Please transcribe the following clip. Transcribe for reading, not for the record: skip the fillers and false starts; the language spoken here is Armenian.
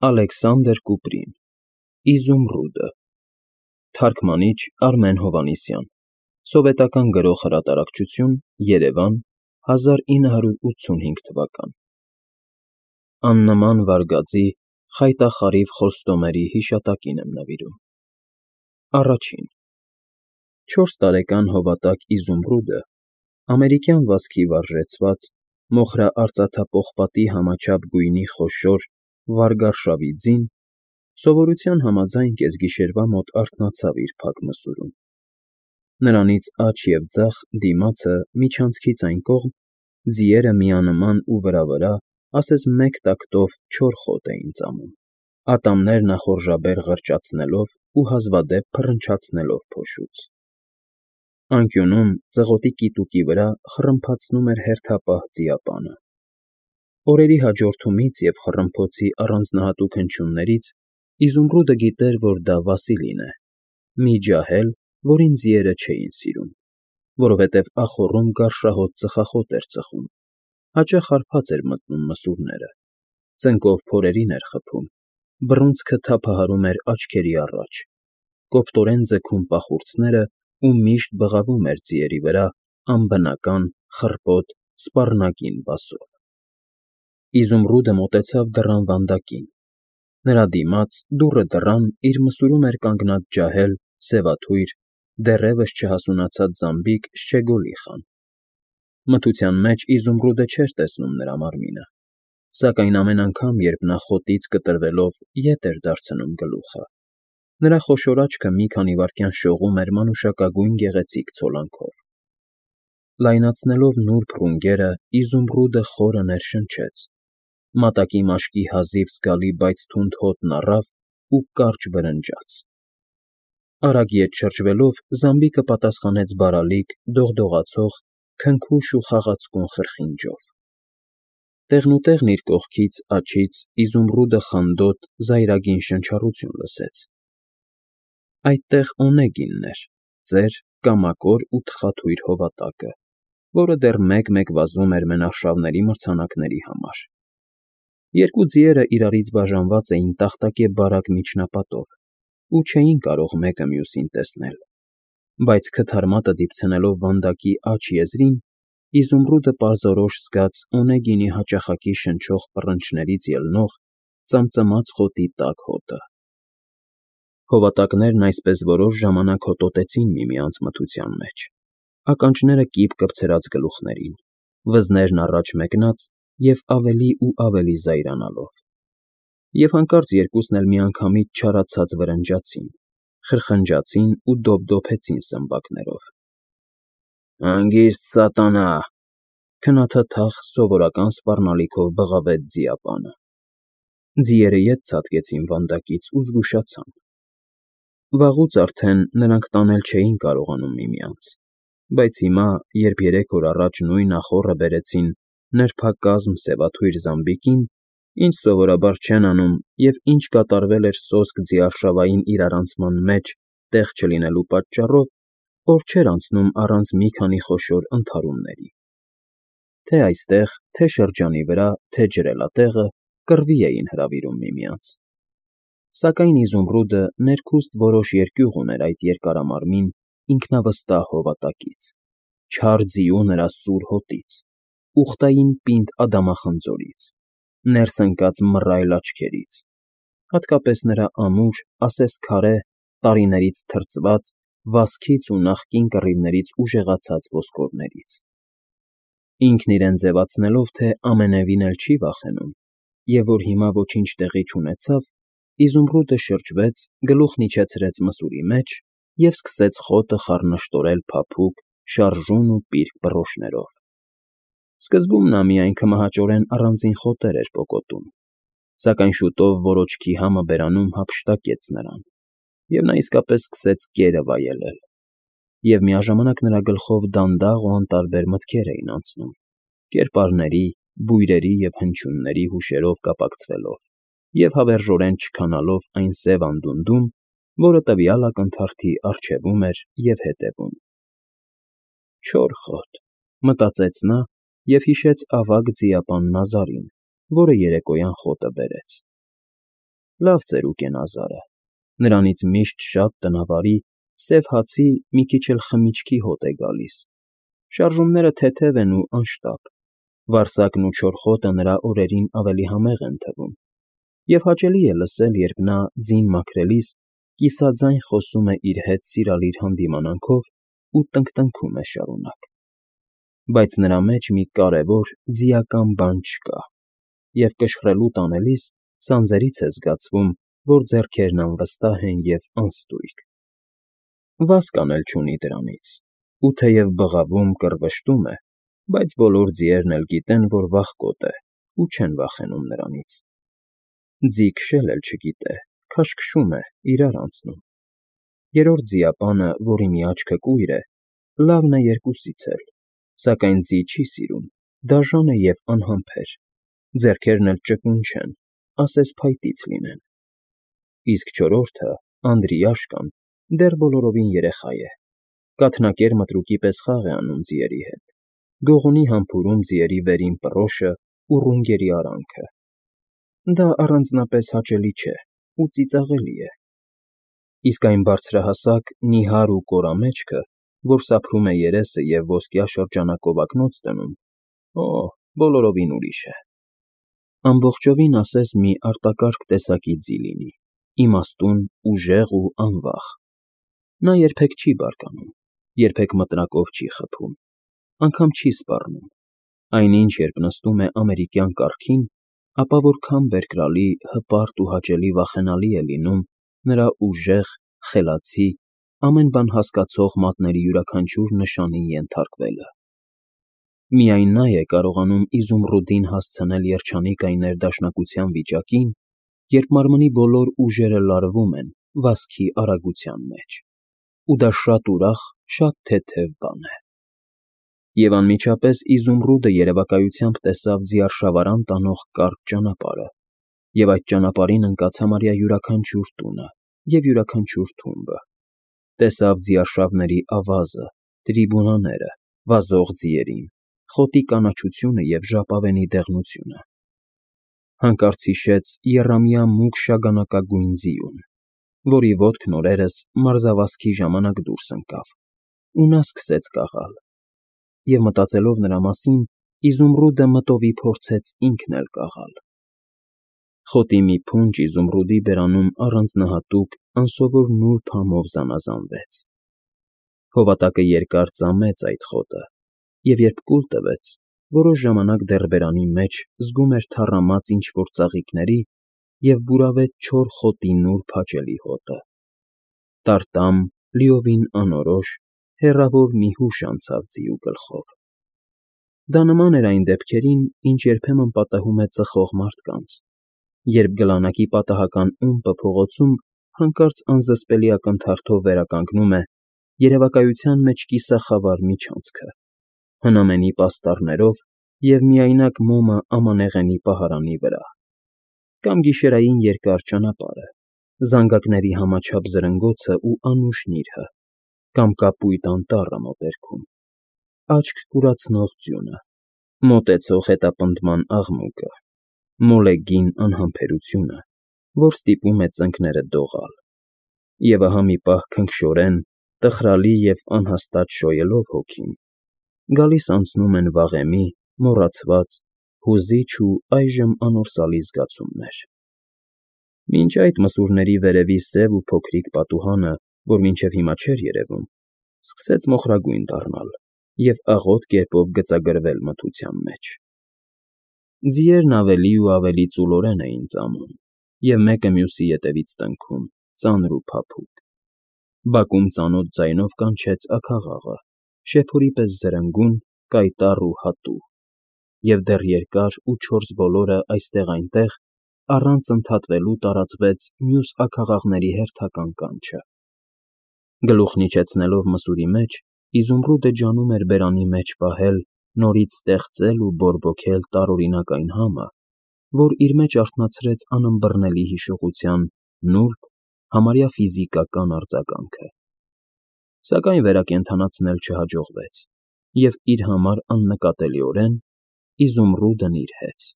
Ալեքսանդր Կուպրին, Իզումրուդը, թարգմանիչ Արմեն Հովհաննիսյան, սովետական գրող֊հրատարակչություն, Երևան, 1985 թվական։ Աննման վարգածի, խայտախարիվ խոստումերի հիշատակին եմ նվիրում։ Առաջին 4 տարեկան հովատակ Իզումրուդը, ամերիկյան վազքի վարժեցված, մոխրաարծաթապողպատի համաչափ գույնի խոշոր, վարգարշավի ձին, սովորության համաձայն կեսգիշերվա մոտ արթնացավ իր փակ մսուրում։ Նրանից աջ և ձախ դիմացը, միջանցքից այն կողմ, ձիերը միանման ու վրա, ասես մեկ տակտով չոր խոտ էին ծամում, ատամներ նախորժաբեր ղրճացնելով ու հազվադեպ փռնչացնելով փոշուց։ Անկյունում, ծղոտի կիտուկի վրա խռմփացնում էր հերթապահ ձիապանը։ Օրերի հաջորդումից և խռմփոցի առանձնահատուկ հնչյուններից Իզումրուդը գիտեր, որ դա Վասիլին է, մի ջահել, որին ձիերը չէին սիրում, որովհետև ախոռում գարշահոտ ծխախոտ էր ծխում, հաճախ հարբած էր մտնում մսուրները, ծնկով փորերին էր խփում, բռունցքը թափահարում էր աչքերի առաջ, կոպտորեն ձգում պախուրձները ու միշտ բղավում էր ձիերի վրա անբնական, խռպոտ, սպառնագին բասով։ Իզումրուդը մոտեցավ դռան վանդակին։ Նրա դիմաց, դուռը դռան, իր մսուրում էր կանգնած ջահել, սևաթույր, դեռևս չհասունացած զամբիկ Շչեգոլիխան։ Մթության մեջ Իզումրուդը չէր տեսնում նրա մարմինը, սակայն ամեն անգամ, երբ նա խոտից կտրվելով ետ էր դարձնում գլուխը, նրա խոշոր աչքը մի քանի վայրկյան շողում էր մանուշակագույն գեղեցիկ ցոլանքով։ Լայնացնելով նուրբ ռունգերը, Իզումրուդը խորը ներշնչեց, մատակի մաշկի հազիվ զգալի, բայց թունդ հոտն առավ ու կարճ վրնջաց։ Արագ ետ շրջվելով, զամբիկը պատասխանեց բարալիկ, դողդողացող, քնքուշ ու խաղացկուն խրխինջով։ Տեղնուտեղն իր կողքից, աջից Իզումրուդը խանդոտ, զայրագին շնչառություն լսեց։ Այդտեղ Օնեգինն էր, ծեր, կամակոր ու թխաթույր հովատակը, որը դեռ մեկ-մեկ վազում էր մենաշավների մրցանակների համար։ Երկու ձիերը իրարից բաժանված էին տախտակե բարակ միջնապատով ու չէին կարող մեկը մյուսին տեսնել, բայց քթարմատը դիպցնելով վանդակի աջ եզրին, Իզումրուդը պարզորոշ զգաց Օնեգինի հաճախակի շնչող պռնչներից ելնող ծամծմաց խոտի տաք հոտը։ Հովատակներն այսպես որոշ ժամանակ հոտոտեցին միմյանց մթության մեջ, ականջները կիպ կպցրած գլուխներին, վզներն առաջ մեկնած և ավելի ու ավելի զայրանալով։ Եվ հանկարծ երկուսն էլ միանգամից չարացած վրնջացին, խրխնջացին ու դոփդոփեցին սմբակներով։ «Հանգիստ սատանա», քնաթաթախ, սովորական սպառնալիքով բղավեց ձիապանը։ Ձիերը ետ ցատկեցին վանդակից ու զգուշացան։ Վաղուց արդեն նրանք տանել չէին կարողանում միմյանց, բայց հիմա, երբ 3 օր առաջ նույն ախոռը բերեցին նրբակազմ սևաթույր զամբիկին, ինչ սովորաբար չեն անում և ինչ կատարվել էր սոսկ ձիարշավային իրարանցման մեջ տեղ չլինելու պատճառով, օր չէր անցնում առանց մի քանի խոշոր ընդհարումների։ Թե այստեղ, թե շրջանի վրա, թե ջրելատեղը կռվի էին հրավիրում միմյանց։ Սակայն Իզումրուդը ներքուստ որոշ երկյուղ ուներ այդ երկարամարմին, ինքնավստահ հովատակից, չար ձիու նրա սուր հոտից, ուխտային պինդ ադամախնձորից, ներս ընկած մռայլ աչքերից, հատկապես նրա ամուր, ասես քարե, տարիներից թրծված, վազքից ու նախկին կռիվներից ուժեղացած ոսկորներից։ Ինքն իրեն ձևացնելով, թե ամենևին էլ չի վախենում, և որ հիմա ոչինչ տեղի չունեցավ, Իզումրուդը շրջվեց, գլուխն իջեցրեց մսուրի մեջ և սկսեց խոտը խառնշտորել փափուկ, շարժուն ու պիրկ բռոշներով։ Սկզբում նա միայն քմահաճորեն առանձին խոտեր էր պոկոտում, սակայն շուտով որոջքի համը բերանում հափշտակեց նրան, և նա իսկապես սկսեց կերը վայելել, և միաժամանակ նրա գլխով դանդաղ ու անտարբեր մտքեր էին անցնում, կերպարների, բույրերի և հնչյունների հուշերով կապակցվելով և հավերժորեն չքանալով այն սև անդունդում, որը տվյալ ակնթարթի առջևում էր և հետևում։ «Չոր խոտ», մտածեց նա և հիշեց ավագ ձիապան Նազարին, որը երեկոյան խոտը բերեց։ Լավ ծերուկ է նա Զարը, նրանից միշտ շատ տնավարի, սև հացի, մի քիչ էլ խմիչքի հոտ է գալիս, շարժումները թեթև են ու անշտապ, վարսակն ու չորխոտը նրա օրերին ավելի համեղ են թվում, և հաճելի է լսել, երբ նա, ձին մաքրելիս, կիսաձայն խոսում է իր հետ սիրալիր հանդիմանանքով ու տնկտնքում է շարունակ, բայց նրա մեջ մի կարևոր, ձիական բան չկա, և կշռելու տանելիս սանձերից է զգացվում, որ ձեռքերն անվստահ են և անստույգ, վազ կանել չունի դրանից, ու թեև բղավում, կռվշտում է, բայց բոլոր ձիերն էլ գիտեն, որ վախկոտ է ու չեն վախենում նրանից, ձի քշել էլ չգիտե, քաշքշում է, իրար անցնում, երրորդ ձիապանը, որի մի աչքը կույր է, լավն է երկուսից էլ, սակայն ձի չի սիրում, դաժան է և անհամբեր, ձեռքերն էլ ճկուն չեն, ասես փայտից լինեն, իսկ չորրորդը, Անդրիաշկան, դեռ բոլորովին երեխա է, կաթնակեր մտրուկի պես խաղ է անում ձիերի հետ, գողունի համբուրում ձիերի վերին պռոշն ու ռունգերի արանքը, դա առանձնապես հաճելի չէ ու ծիծաղելի է, իսկ այն բարձրահասակ, նիհար ու կորամեջքը, որ սափրում է երեսը և ոսկյա շրջանակով ակնոց դնում, բոլորովին ուրիշ է, ամբողջովին ասես մի արտակարգ տեսակի ձի լինի, իմաստուն, ուժեղ ու անվախ, նա երբեք չի բարկանում, երբեք մտրակով չի խփում, անգամ չի սպառնում, այնինչ երբ նստում է ամերիկյան կառքին, ապա որքան բերկրալի, հպարտ ու հաճելի վախենալի է լինում նրա ուժեղ, խելացի, ամեն բան հասկացող մատների յուրաքանչյուր նշանին ենթարկվելը, միայն նա է կարողանում Իզումրուդին հասցնել երջանիկ այն ներդաշնակության վիճակին, երբ մարմնի բոլոր ուժերը լարվում են վազքի արագության մեջ, ու դա շատ ուրախ, շատ թեթև բան է, և անմիջապես Իզումրուդը երևակայությամբ տեսավ ձիարշավարան տանող կարճ ճանապարհը, և այդ ճանապարհին ընկած համարյա յուրաքանչյուր տունը և յուրաքանչյուր թումբը, տեսավ ձիարշավների ավազը, տրիբունաները, վազող ձիերին, խոտի կանաչությունը և ժապավենի դեղնությունը, հանկարծ հիշեց եռամյա մուգ շագանակագույն ձիուն, որի ոտքն օրերս մարզավազքի ժամանակ դուրս ընկավ, ու նա սկսեց կաղալ, և մտածելով նրա մասին, Իզումրուդը մտովի փորձեց ինքն էլ կաղալ, խոտի մի փունջ Իզումրուդի բերանում առանձնահատուկ, անսովոր նուրբ համով զանազանվեց, հովատակը երկար ծամեց այդ խոտը, և երբ կուլ տվեց, որոշ ժամանակ դեռ բերանի մեջ զգում էր թառամած ինչ֊որ ծաղիկների և բուրավետ չոր խոտի նուրբ հաճելի հոտը, տարտամ, լիովին անորոշ, հեռավոր մի հուշ անցավ ձիու գլխով, դա նման էր այն դեպքերին, ինչ երբեմն պատահում է ծխող մարդկանց, երբ գլանակի պատահական ումպը փողոցում հանկարծ անզսպելի ակնթարթով վերականգնում է երևակայության մեջ կիսախավար միջանցքը, հնամենի պաստառներով և միայնակ մոմը ամանեղենի պահարանի վրա, կամ գիշերային երկար ճանապարհը, զանգակների համաչափ զրնգոցը ու անուշ նիրհը, կամ կապույտ անտառը մոտերքում, աչք կուրացնող ձյունը, մոտեցող հետապնդման աղմուկը, մոլեգին անհամբերությունը, որ ստիպում է ծնկները դողալ, և ահա մի պահ քնքշորեն, տխրալի և անհաստատ շոյելով հոգին, գալիս անցնում են վաղեմի, մոռացված, հուզիչ ու այժմ անորսալի զգացումներ, մինչ այդ մսուրների վերևի սև ու փոքրիկ պատուհանը, որ մինչև հիմա չէր երևում, սկսեց մոխրագույն դառնալ և աղոտ կերպով գծագրվել մթության մեջ, ձիերն ավելի ու ավելի ծուլորեն էին ծամում և մեկը մյուսի ետևից տնքում, ծանր ու փափուկ, բակում ծանոթ ձայնով կանչեց աքաղաղը, շեփորի պես զրնգուն, կայտառ ու հատուկ, և դեռ երկար ու չորս բոլորը այստեղ֊այնտեղ առանց ընդհատվելու տարածվեց մյուս աքաղաղների հերթական կանչը, գլուխն իջեցնելով մսուրի մեջ, Իզումրուդը ջանում էր բերանի մեջ պահել, նորից ստեղծել ու բորբոքել տարօրինակ այն համը, որ իր մեջ արթնացրեց անըմբռնելի հիշողության նուրբ, համարյա ֆիզիկական արձագանքը, սակայն վերակենդանացնել չհաջողվեց, և իր համար աննկատելիորեն Իզումրուդն իր հեծ։